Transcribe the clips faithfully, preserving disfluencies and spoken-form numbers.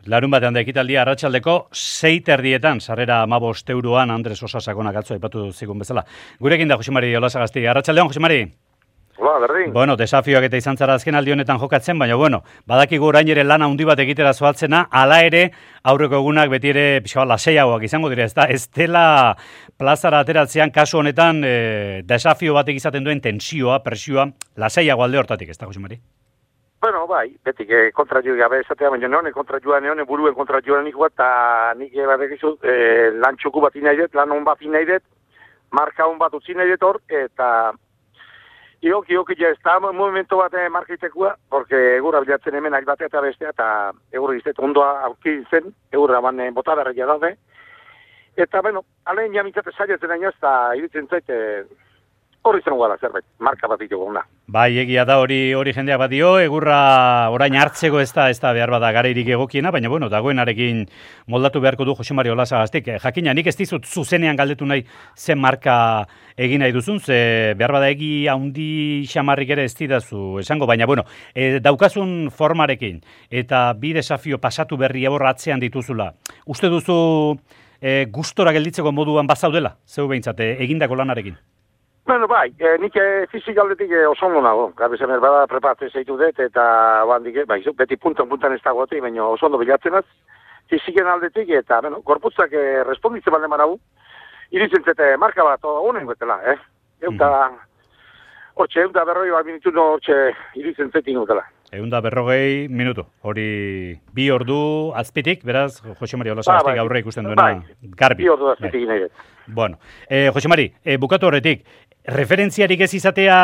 Larun batean da ekitaldia arratsaldeko sei terdietan, sarrera hamabost euroan Andres Osasakonak atzo aipatu zigun bezala. Gurekin da Jose Mari Olasagasti. Arratsaldeon, Jose Mari. Hola, berdin. Bueno, desafioak eta izan zara azken aldi honetan jokatzen, baina bueno, badakigu orain ere lana handi bat egitera zoatzena, hala ere aurreko egunak beti ere pixka bat lasaiagoak izango dira, ez da, ez dela plazara ateratzean kasu honetan e, desafio batek izaten duen tensioa, presioa, lasaiago alde hortatik, ez da, Jose Mari? Bueno, bai, betik eh, kontra joa gabe esatea, baina neone kontra joa neone buruen kontra joa nik bat, eta nik batek izu eh, lan txoku bat inai dut, lan hon bat inai dut, marka hon bat utzi nahi dut hor, eta Ioki, ioki, ja, ez da movimento bat marka itekua, porque egurra bilatzen hemen ari batea eta bestea, eta egurra iztet ondoa aurki zen, egurra ban botadarria daude. Eta, bueno, alein jamitzate saiatzen aina, eta iritzen zaite horri zen guala zerbait, marka bat itugu gona. Bai, egia da hori hori jendeak bat dio, egurra orain hartzeko ez da, ez da behar bada garairik egokiena, baina bueno, dagoenarekin moldatu beharko du Jose Mari Olasagastik. Jakina, nik ez dizut zuzenean galdetu nahi zen marka egin nahi duzun, ze behar bada egi handi xamarrik ere ez didazu esango, baina bueno, e, daukazun formarekin eta bi desafio pasatu berri hor atzean dituzula. Uste duzu e, gustora gelditzeko moduan bazaudela, zeu behintzat, e, egindako lanarekin? Bueno, bai, eh, nik eh, fizikaldetik eh, oso ondo nago. Gabezen erbada preparatzen zeitu dut, eta bandik, eh, bai, beti puntan-puntan ez dagoetik, baina oso ondo bilatzen az, fiziken aldetik, eta, bueno, gorputzak eh, responditzen balde maragu, iritzen zete marka bat, honen gotela, eh? Euta, hortxe, euta berroi bat minutu no hortxe iritzen zetin gotela. Eunda berrogei minutu, hori bi ordu azpitik, beraz, Jose Mari Olasagastik ba, bai, aurre ikusten duena, bai, garbi. Bi ordu azpitik nahi dut. Bueno, eh, Jose Mari, eh, bukatu horretik, referentziarik ez izatea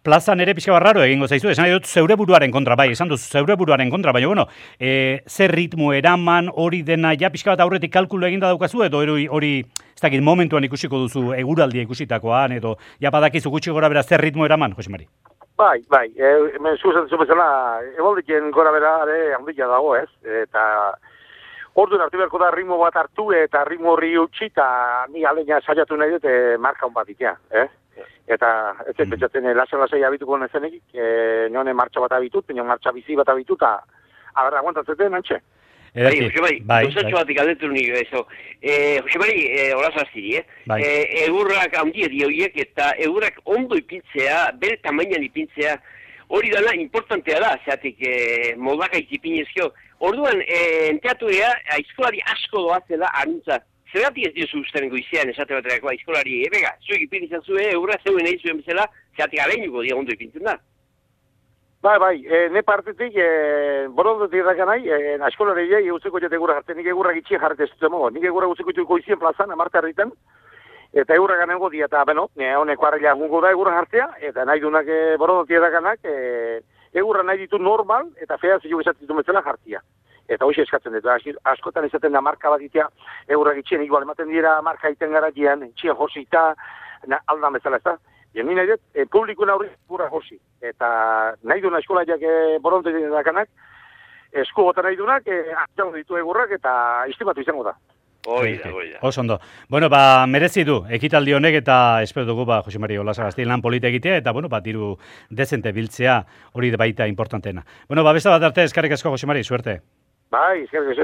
plazan ere pixka barraro egingo zaizu, esan nahi dut zeure buruaren kontra, bai, esan duz zeure buruaren kontra, baina bueno, eh, zer ritmo eraman hori dena, ja pixka bat aurretik kalkulu eginda daukazu, edo hori, hori ez dakit momentuan ikusiko duzu eguraldia ikusitakoan, edo ja badakizu gutxi gora bera zer ritmo eraman, Jose Mari? Bai, bai, e, hemen zuzen zumezela, eboldiken gora bera ere handia dago, ez? Eta orduan hartu beharko da ritmo bat hartu eta ritmo horri utzi, eta ni aleina saiatu nahi dut e, marka hon bat itea, eh? Eta ez ez pentsatzen lasa-lasai abituko nezenek, e, nione martxa bat abitut, nione martxa bizi bat abitut, eta agarra aguantatzeten antxe. Bai, Jose Mari, gauzatxo batik aldetu nik, eso. Eh, Jose Mari, eh, Olasagasti, eh? Bai. Eh, egurrak handia dioiek eta egurrak ondo ipintzea, bere tamainan ipintzea, hori dela importantea da, zeatik eh, moldakaik ipinezkio. Orduan, eh, enteaturea, aizkolari asko doazela aruntza. Zergatik ez diozu usten goizean esate baterako aizkolari, eh, bega, zuek ipin izan zuen, egurra zeuen nahi zuen bezala, zeatik aleinuko dia ondo ipintzen da. Bai, bai, e, ne partetik, e, borondotik dakan nahi, e, askolare jai, egutzeko jate egurra jartzen, nik egurra gitxien jarrete ez dut nik egurra egutzeko jate goizien plazan, amarte harritan, eta egurra ganengo dia, eta, beno, e, honeko harrela gungo da egurra jartzea, eta nahi dunak e, borondotik dakanak, e, egurra nahi ditu normal, eta fea zio esatzen ditu metzela jartzea. Eta hoxe eskatzen dut, askotan esaten da marka bat itea, egurra gitxien, igual ematen dira marka iten gara dian, txien josita, aldan bezala ez da. Bien, ni nahi dut, e, publikun aurri gura josi. Eta nahi duna eskolaiak e, boronte dakanak, esku gota nahi dunak, e, atxango ditu egurrak eta istimatu izango da. Hoi da, hoi da. Oso ondo. Bueno, ba, merezi du, ekitaldi honek eta espero dugu, ba, Jose Mari Olasagasti lan polita egitea, eta, bueno, ba, diru dezente biltzea hori baita importantena. Bueno, ba, besta bat arte, eskarrik asko, Jose Mari, suerte. Bai, eskarrik asko.